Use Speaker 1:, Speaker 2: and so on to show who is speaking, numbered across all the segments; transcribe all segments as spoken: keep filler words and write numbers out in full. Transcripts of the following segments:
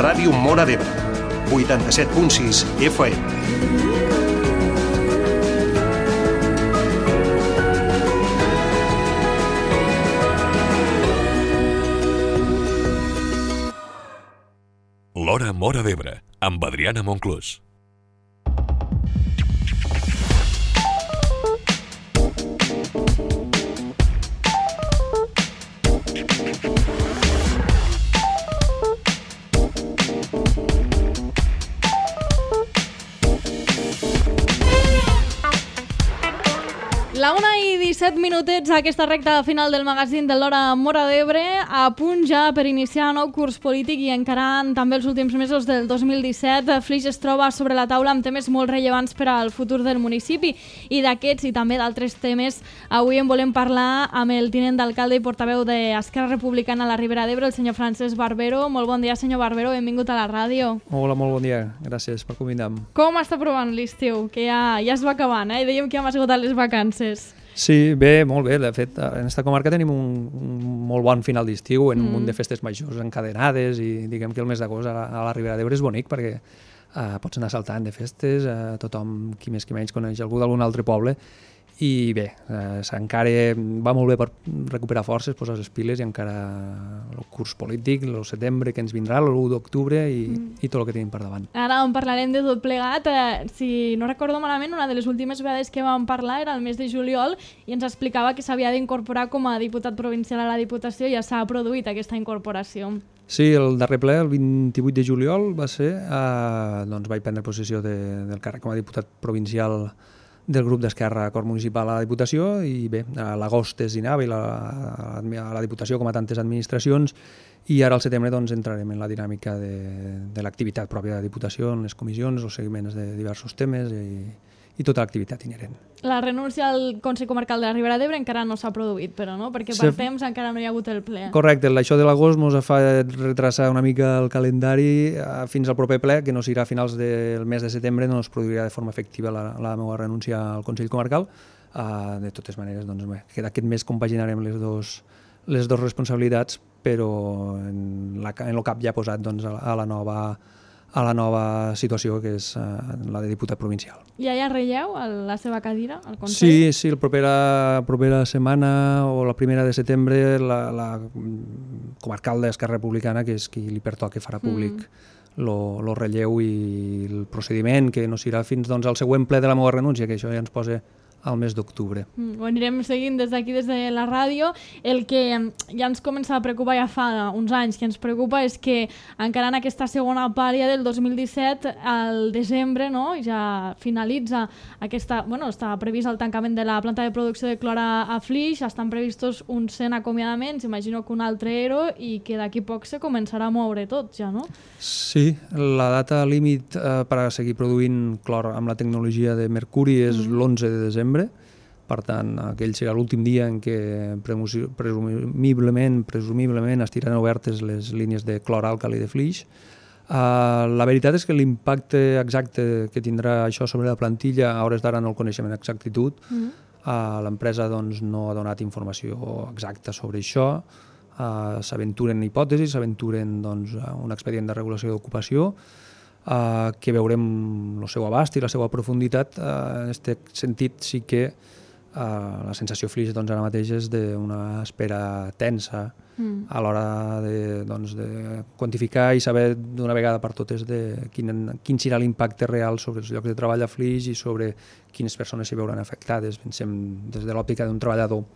Speaker 1: Ràdio Móra d'Ebre, vuitanta-set punt sis F M.
Speaker 2: L'Hora Móra d'Ebre, amb Adriana Monclús.
Speaker 3: La una i disset minutets a aquesta recta final del magazín de l'Hora Móra d'Ebre, a punt ja per iniciar nou curs polític i encarant també els últims mesos del dos mil disset. Flix es troba sobre la taula amb temes molt rellevants per al futur del municipi, i d'aquests i també d'altres temes avui en volem parlar amb el tinent d'alcalde i portaveu d'Esquerra Republicana a la Ribera d'Ebre, el senyor Francesc Barbero. Molt bon dia, senyor Barbero, benvingut a la ràdio.
Speaker 4: Hola, molt bon dia, gràcies per convidar-me.
Speaker 3: Com està provant l'estiu? Que ja, ja es va acabant, eh? Dèiem que hem esgotat les vacances.
Speaker 4: Sí, bé, molt bé. De fet, en aquesta comarca tenim un, un molt bon final d'estiu, en mm. un munt de festes majors encadenades, i diguem que el mes d'agost a, la, a la Ribera d'Ebre és bonic perquè uh, pots anar saltant de festes, uh, tothom, qui més qui menys, coneix algú d'algun altre poble, i bé, uh, encara va molt bé per recuperar forces, posar les piles, i encara el curs polític, el setembre que ens vindrà, l'u d'octubre, i, mm. i tot el que tenim per davant.
Speaker 3: Ara en parlarem de tot plegat. Eh, si no recordo malament, una de les últimes vegades que vam parlar era el mes de juliol, i ens explicava que s'havia d'incorporar com a diputat provincial a la Diputació, i ja s'ha produït aquesta incorporació.
Speaker 4: Sí, el darrer ple, el vint-i-vuit de juliol, va ser, eh, doncs vaig prendre possessió de, del càrrec com a diputat provincial del grup d'Esquerra Acord Municipal a la Diputació, i bé, a l'agost es dinava i la, a la Diputació, com a tantes administracions, i ara al setembre doncs, entrarem en la dinàmica de, de l'activitat pròpia de la Diputació, en les comissions, els seguiments de diversos temes i, i tota l'activitat inherent.
Speaker 3: La renúncia al Consell Comarcal de la Ribera d'Ebre encara no s'ha produït, però no? Perquè per sí. temps encara no hi ha hagut el ple.
Speaker 4: Correcte, això de l'agost ens fa retrasar una mica el calendari fins al proper ple, que no serà a finals del mes de setembre, no es produirà de forma efectiva la, la meva renúncia al Consell Comarcal. Uh, de totes maneres, doncs, bé, que aquest mes compaginarem les dos, les dues responsabilitats, però en, la, en el cap ja posat doncs, a, la, a la nova a la nova situació, que és uh, la de diputat provincial.
Speaker 3: Ja hi ha relleu a la seva cadira, al Consell?
Speaker 4: Sí, sí, la propera, propera setmana o la primera de setembre la, la comarcal d'Esquerra Republicana, que és qui li pertoca, farà públic el mm. relleu i el procediment, que no serà fins doncs, al següent ple de la meva renúncia, que això ja ens posa al mes d'octubre.
Speaker 3: Mm, ho anirem seguint des d'aquí, des de la ràdio. El que ja ens comença a preocupar ja fa uns anys, que ens preocupa és que encara en aquesta segona part ja del dos mil disset, al desembre, no, ja finalitza aquesta... Bueno, està previst el tancament de la planta de producció de clor a, a Flix, estan previstos uns cent acomiadaments, imagino que un altre ero, i que d'aquí poc se començarà a moure tot ja, no?
Speaker 4: Sí, la data límit eh, per a seguir produint clor amb la tecnologia de mercuri és mm. l'onze de desembre. Per tant, aquell serà l'últim dia en què presumiblement, presumiblement estiran obertes les línies de clor-àlcali de Flix. Uh, la veritat és que l'impacte exacte que tindrà això sobre la plantilla a hores d'ara no el coneixem en exactitud. Mm. Uh, l'empresa doncs, no ha donat informació exacta sobre això. Uh, s'aventuren hipòtesis, s'aventuren doncs, un expedient de regulació d'ocupació, Uh, que veurem el seu abast i la seva profunditat. Uh, en aquest sentit sí que uh, la sensació Flix doncs, ara mateix és d'una espera tensa mm. a l'hora de, doncs, de quantificar i saber d'una vegada per totes de quin, quin serà l'impacte real sobre els llocs de treball a Flix i sobre quines persones s'hi veuran afectades. Pensem des de l'òptica d'un treballador,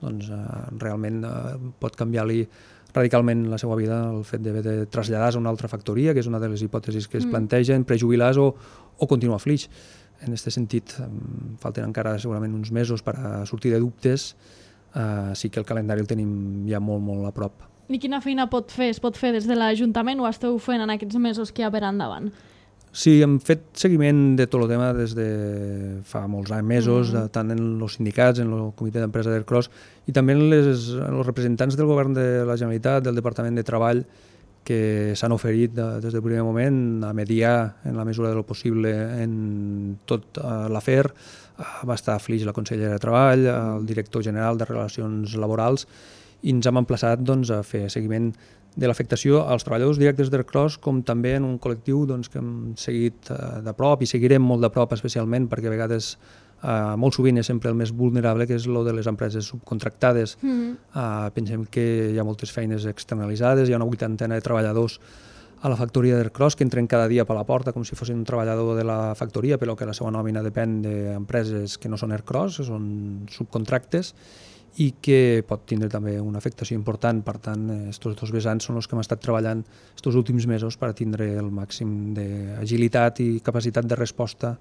Speaker 4: doncs uh, realment uh, pot canviar-li radicalment la seva vida el fet d'haver de traslladar-se a una altra factoria, que és una de les hipòtesis que es plantegen, prejubilar-se o, o continuar a Flix. En aquest sentit, falten encara segurament uns mesos per a sortir de dubtes, uh, sí que el calendari el tenim ja molt, molt a prop.
Speaker 3: I quina feina pot fer? Es pot fer des de l'Ajuntament o esteu fent en aquests mesos que hi ha per endavant?
Speaker 4: Sí, hem fet seguiment de tot el tema des de fa molts anys, mesos, mm. tant en els sindicats, en el comitè d'empresa d'Aircross, i també en, les, en els representants del govern de la Generalitat, del Departament de Treball, que s'han oferit de, des del primer moment a mediar en la mesura del possible en tot uh, l'afer. Uh, va estar a Flix la consellera de Treball, el director general de Relacions Laborals, i ens hem emplaçat doncs, a fer seguiment de l'afectació als treballadors directes d'Ercros, com també en un col·lectiu doncs, que hem seguit uh, de prop i seguirem molt de prop especialment, perquè a vegades uh, molt sovint és sempre el més vulnerable, que és el de les empreses subcontractades. Mm-hmm. uh, pensem que hi ha moltes feines externalitzades, hi ha una vuitantena de treballadors a la factoria d'Ercros que entren cada dia per la porta com si fossin un treballador de la factoria, però que la seva nòmina depèn d'empreses que no són Ercros, que són subcontractes, i que pot tindre també una afectació important. Per tant, aquests dos vessants són els que hem estat treballant aquests últims mesos per tindre el màxim d'agilitat i capacitat de resposta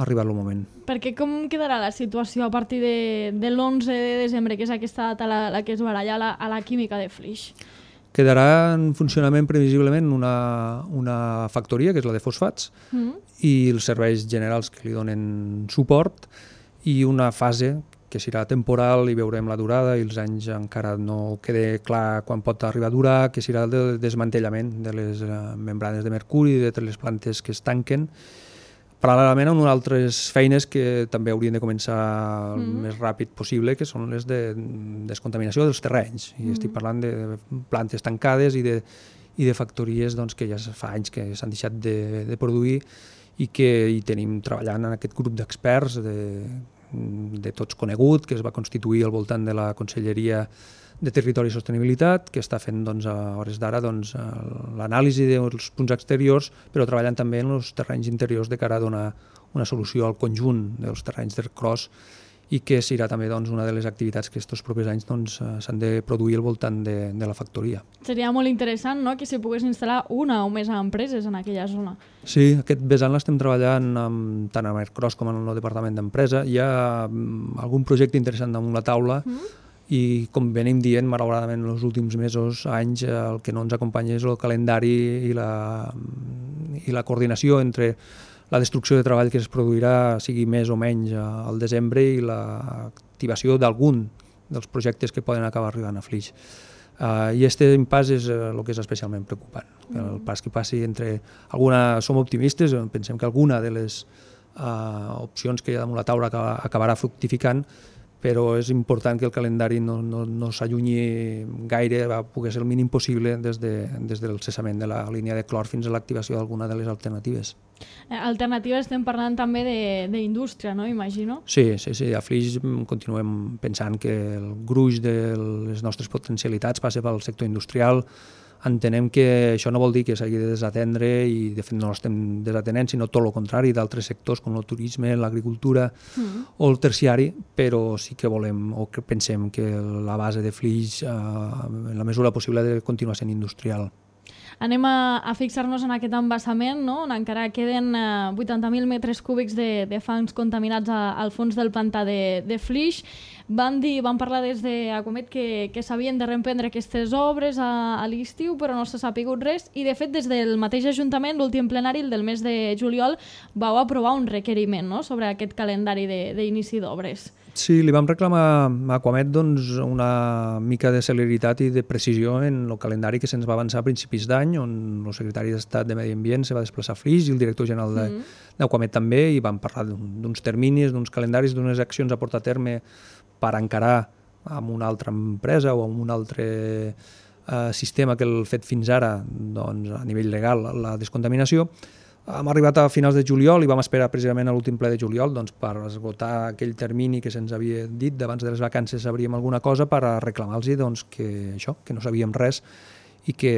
Speaker 4: arribat el moment.
Speaker 3: Perquè com quedarà la situació a partir de, de l'onze de desembre, que és aquesta data la, la que es baralla a la, a la química de Flix?
Speaker 4: Quedarà en funcionament previsiblement una, una factoria, que és la de fosfats, mm. i els serveis generals que li donen suport, i una fase que serà temporal i veurem la durada, i els anys encara no queda clar quan pot arribar a durar, que serà el desmantellament de les membranes de mercuri, de les plantes que es tanquen, paral·lelament a unes altres feines que també haurien de començar el mm. més ràpid possible, que són les de descontaminació dels terrenys. I mm. estic parlant de plantes tancades i de, i de factories doncs, que ja fa anys que s'han deixat de, de produir i que hi tenim treballant en aquest grup d'experts de, de tots conegut, que es va constituir al voltant de la Conselleria de Territori i Sostenibilitat, que està fent doncs, a hores d'ara doncs, l'anàlisi dels punts exteriors, però treballant també en els terrenys interiors de cara a donar una solució al conjunt dels terrenys d'Ercros, i que serà també doncs, una de les activitats que aquests propers anys doncs, s'han de produir al voltant de, de la factoria.
Speaker 3: Seria molt interessant, no?, que s'hi pogués instal·lar una o més empreses en aquella zona.
Speaker 4: Sí, aquest vessant l'estem treballant amb, tant amb Ercros com en el Departament d'Empresa. Hi ha algun projecte interessant damunt la taula, mm. i com venim dient, malauradament en els últims mesos, anys, el que no ens acompanya és el calendari i la, i la coordinació entre la destrucció de treball que es produirà, sigui més o menys al desembre, i l'activació d'algun dels projectes que poden acabar arribant a Flix. Uh, I aquest impàs és uh, el que és especialment preocupant. Mm. El pas que passi entre alguna... Som optimistes, pensem que alguna de les uh, opcions que hi ha damunt la taula acabarà fructificant, però és important que el calendari no, no, no s'allunyi gaire, va poder ser el mínim possible des, de, des del cessament de la línia de clor fins a l'activació d'alguna de les alternatives.
Speaker 3: Alternatives estem parlant també d'indústria, no? Imagino.
Speaker 4: Sí, sí, sí. A Flix continuem pensant que el gruix de les nostres potencialitats passa pel sector industrial. Entenem que això no vol dir que s'hagi de desatendre, i de fet no l'estem desatenent, sinó tot el contrari, d'altres sectors com el turisme, l'agricultura mm. o el terciari, però sí que volem o que pensem que la base de Flix, eh, en la mesura possible, ha de continuar sent industrial.
Speaker 3: Anem a, a fixar-nos en aquest embassament, no?, on encara queden eh, vuitanta mil metres cúbics de, de fangs contaminats a, al fons del pantà de, de Flix. Van dir, van parlar des d'Acomet que, que s'havien de reemprendre aquestes obres a, a l'estiu, però no s'ha sapigut res, i de fet des del mateix Ajuntament, l'últim plenari, el del mes de juliol, vau aprovar un requeriment, no?, sobre aquest calendari d'inici d'obres.
Speaker 4: Sí, li vam reclamar a Aquamet doncs, una mica de celeritat i de precisió en el calendari que se'ns va avançar a principis d'any, on el secretari d'Estat de Medi Ambient se va desplaçar a Flix i el director general d'Aquamet mm. també, i vam parlar d'uns terminis, d'uns calendaris, d'unes accions a portar a terme per encarar amb una altra empresa o amb un altre eh, sistema que el fet fins ara doncs, a nivell legal, la descontaminació. Hem arribat a finals de juliol i vam esperar precisament a l'últim ple de juliol doncs, per esgotar aquell termini que se'ns havia dit d'abans de les vacances sabríem alguna cosa, per reclamar-los doncs, que, això, que no sabíem res i que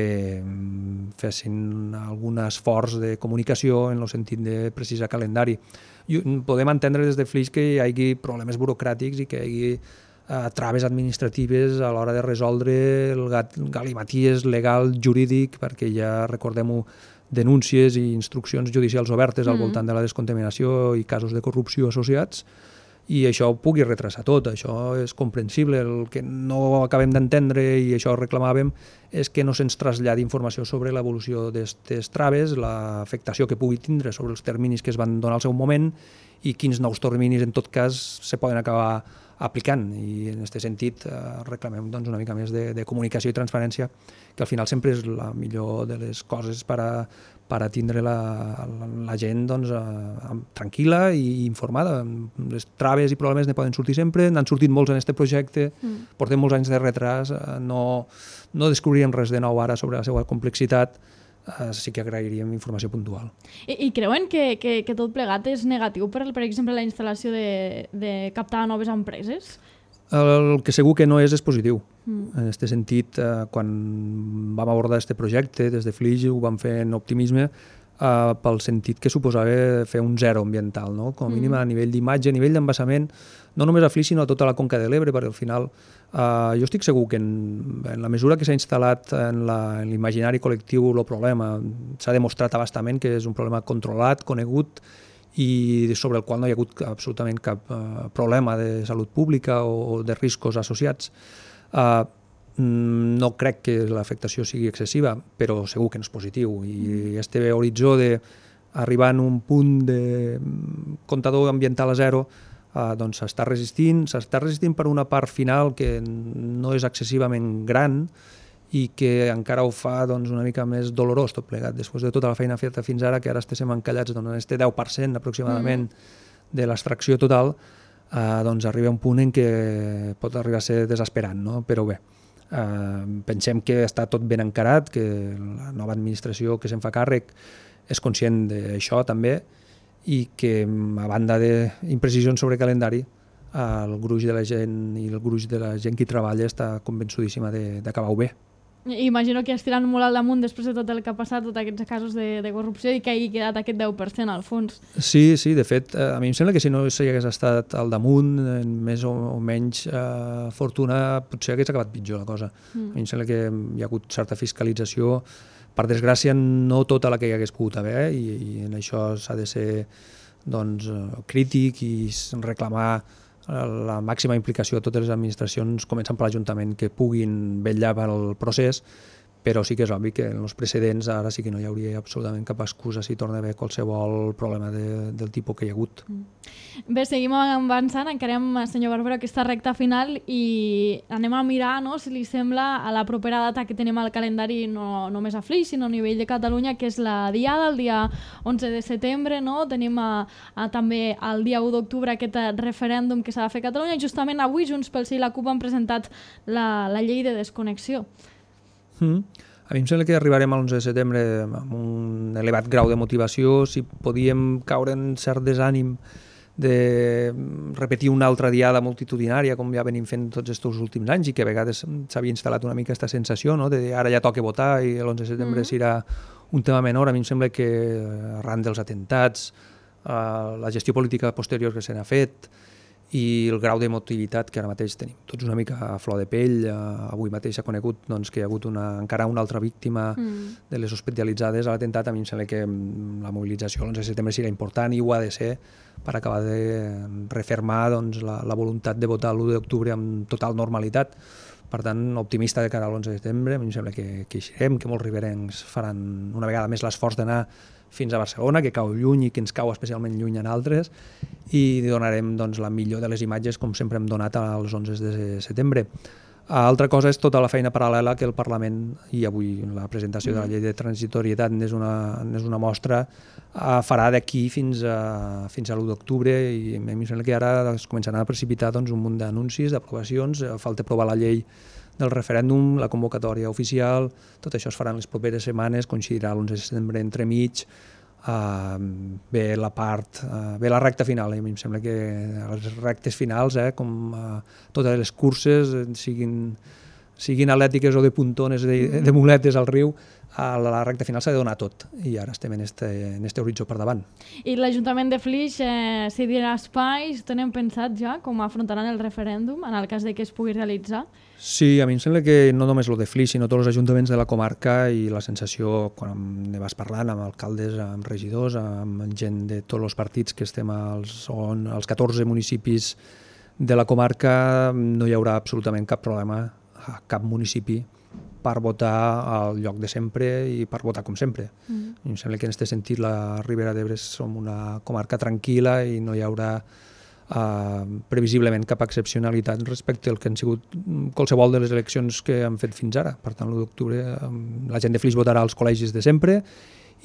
Speaker 4: fessin algun esforç de comunicació en el sentit de precisar calendari. I podem entendre des de Flix que hi hagi problemes burocràtics i que hi hagi eh, traves administratives a l'hora de resoldre el galimaties legal, jurídic, perquè ja, recordem-ho, denúncies i instruccions judicials obertes al voltant de la descontaminació i casos de corrupció associats, i això ho pugui retrasar tot. Això és comprensible. El que no acabem d'entendre, i això reclamàvem, és que no se'ns traslladi informació sobre l'evolució d'aquestes traves, l'afectació que pugui tindre sobre els terminis que es van donar al seu moment, i quins nous terminis en tot cas se poden acabar aplicant, i en aquest sentit eh, reclamem doncs, una mica més de, de comunicació i transparència, que al final sempre és la millor de les coses per a, per a tindre la, la, la gent doncs, eh, tranquil·la i informada. Les traves i problemes ne poden sortir sempre, n'han sortit molts en aquest projecte, mm. portem molts anys de retras, eh, no, no descobriríem res de nou ara sobre la seva complexitat, Uh, sí que agrairíem informació puntual.
Speaker 3: I, i creuen que, que, que tot plegat és negatiu per, per exemple, la instal·lació de, de captar noves empreses?
Speaker 4: El que segur que no és és positiu.
Speaker 3: Mm.
Speaker 4: En aquest sentit, uh, quan vam abordar aquest projecte, des de Flix ho vam fer en optimisme, uh, pel sentit que suposava fer un zero ambiental, no? Com a mínim a nivell d'imatge, a nivell d'embassament, no només a Flix, sinó a tota la conca de l'Ebre, perquè al final Uh, jo estic segur que en, en la mesura que s'ha instal·lat en l'imaginari col·lectiu el problema, s'ha demostrat abastament que és un problema controlat, conegut i sobre el qual no hi ha hagut absolutament cap uh, problema de salut pública o, o de riscos associats. Uh, no crec que l'afectació sigui excessiva, però segur que no és positiu, i este horitzó d'arribar en un punt de comptador ambiental a zero Uh, doncs s'està resistint, s'està resistint per una part final que no és excessivament gran i que encara ho fa doncs, una mica més dolorós tot plegat, després de tota la feina feta fins ara, que ara estem encallats doncs, en este deu per cent aproximadament mm. de l'extracció total, uh, doncs arriba un punt en què pot arribar a ser desesperant, no? Però bé, uh, pensem que està tot ben encarat, que la nova administració que se'n fa càrrec és conscient d'això també, i que a banda d'imprecisions sobre calendari, el gruix de la gent i el gruix de la gent que hi treballa està convençudíssima d'acabar-ho bé.
Speaker 3: Imagino que estiran molt al damunt després de tot el que ha passat, tots aquests casos de, de corrupció, i que hagi quedat aquest deu per cent al fons. Sí,
Speaker 4: sí, de fet, a mi em sembla que si no s'hi hagués estat al damunt, en més o, o menys eh, fortuna, potser hagués acabat pitjor la cosa. Mm. A mi em sembla que hi ha hagut certa fiscalització, per desgràcia no tota la que hi hagués pogut haver, i, i en això s'ha de ser doncs, crític i reclamar la màxima implicació de totes les administracions, començant per l'Ajuntament, que puguin vetllar pel procés, però sí que és obvi que en els precedents ara sí que no hi hauria absolutament cap excusa si torna a haver qualsevol problema de, del tipus que hi ha hagut.
Speaker 3: Bé, seguim avançant, encarem, senyor Barbero, aquesta recta final i anem a mirar, no, si li sembla, a la propera data que tenim al calendari, no només a Flix, sinó a nivell de Catalunya, que és la Diada, el dia onze de setembre, no? Tenim a, a, també el dia u d'octubre aquest referèndum que s'ha de fer a Catalunya, i justament avui Junts pel Sí i la CUP han presentat la, la llei de desconnexió.
Speaker 4: Mm. A mi em sembla que arribarem a l'onze de setembre amb un elevat grau de motivació. Si podíem caure en cert desànim de repetir una altra diada multitudinària com ja venim fent tots aquests últims anys, i que a vegades s'havia instal·lat una mica aquesta sensació, no? De ara ja toca votar i l'onze de setembre mm. serà un tema menor. A mi em sembla que arran dels atentats, uh, la gestió política posterior que se n'ha fet i el grau d'emotivitat que ara mateix tenim tots una mica a flor de pell. Uh, avui mateix s'ha conegut doncs, que hi ha hagut una, encara una altra víctima mm. de les hospitalitzades a l'atemptat. A mi em sembla que la mobilització l'onze de setembre serà important i ho ha de ser per acabar de refermar doncs, la, la voluntat de votar l'u d'octubre amb total normalitat. Per tant, optimista de cara a l'onze de setembre. A mi em sembla que, que eixirem, que molts riberencs faran una vegada més l'esforç d'anar fins a Barcelona, que cau lluny i que ens cau especialment lluny en altres, i donarem doncs, la millor de les imatges com sempre hem donat als onze de setembre. Altra cosa és tota la feina paral·lela que el Parlament, i avui la presentació de la llei de transitorietat n'és una, n'és una mostra, farà d'aquí fins a, fins a l'u d'octubre, i a mi em sembla que ara es començaran a precipitar doncs, un munt d'anuncis, d'aprovacions. Falta aprovar la llei del referèndum, la convocatòria oficial, tot això es farà en les properes setmanes, coincidirà l'onze de setembre entremig, uh, ve la part, uh, ve la recta final, eh? A mi em sembla que les rectes finals, eh, com uh, totes les curses, siguin, siguin atlètiques o de puntones, de, de muletes al riu, a la recta final s'ha de donar tot, i ara estem en este, en este horitzó per davant.
Speaker 3: I l'Ajuntament de Flix eh, cedirà espais, tenen pensat ja com afrontaran el referèndum en el cas de que es pugui realitzar?
Speaker 4: Sí, a mi em sembla que no només el de Flix, sinó tots els ajuntaments de la comarca, i la sensació, quan ne vas parlant amb alcaldes, amb regidors, amb gent de tots els partits que estem als, on, als catorze municipis de la comarca, no hi haurà absolutament cap problema a cap municipi per votar al lloc de sempre i per votar com sempre. Mm. I em sembla que en aquest sentit la Ribera d'Ebre som una comarca tranquil·la i no hi haurà uh, previsiblement cap excepcionalitat respecte al que han sigut qualsevol de les eleccions que han fet fins ara. Per tant, l'u d'octubre um, la gent de Flix votarà als col·legis de sempre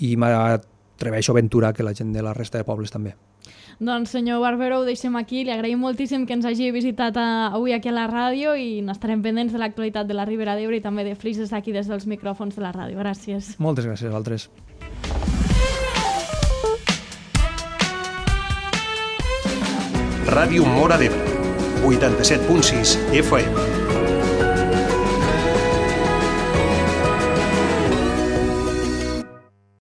Speaker 4: i m'atreveixo a aventurar que la gent de la resta de pobles també.
Speaker 3: Doncs senyor Barbero, ho deixem aquí. Li agraïm moltíssim que ens hagi visitat a, avui aquí a la ràdio i n'estarem pendents de l'actualitat de la Ribera d'Ebre i també de Flix des d'aquí, des dels micròfons de la ràdio. Gràcies.
Speaker 4: Moltes gràcies a altres.
Speaker 1: Ràdio Móra d'Ebre, vuitanta-set punt sis F M.